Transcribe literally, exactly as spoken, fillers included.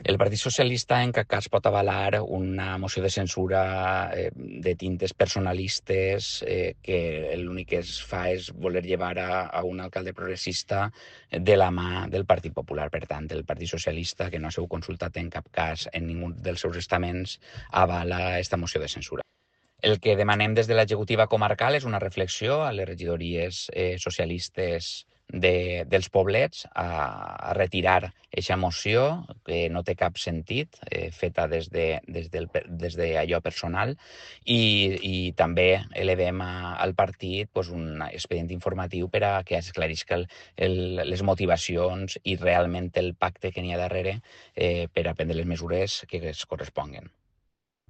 El Partit Socialista en cap cas pot avalar una moció de censura eh, de tintes personalistes eh, que l'únic que es fa és voler llevar a, a un alcalde progressista de la mà del Partit Popular. Per tant, el Partit Socialista, que no ha sigut consultat en cap cas en ningú dels seus estaments, avala esta moció de censura. El que demanem des de l'executiva comarcal és una reflexió a les regidories eh, socialistes de, dels poblets a, a retirar aquesta moció, que no té cap sentit, eh, feta des de, des, del, des de allò personal, i, i també elevem a, al partit pues, un expedient informatiu per a que esclarisca el, el, les motivacions i realment el pacte que n'hi ha darrere eh, per a prendre les mesures que es corresponguen.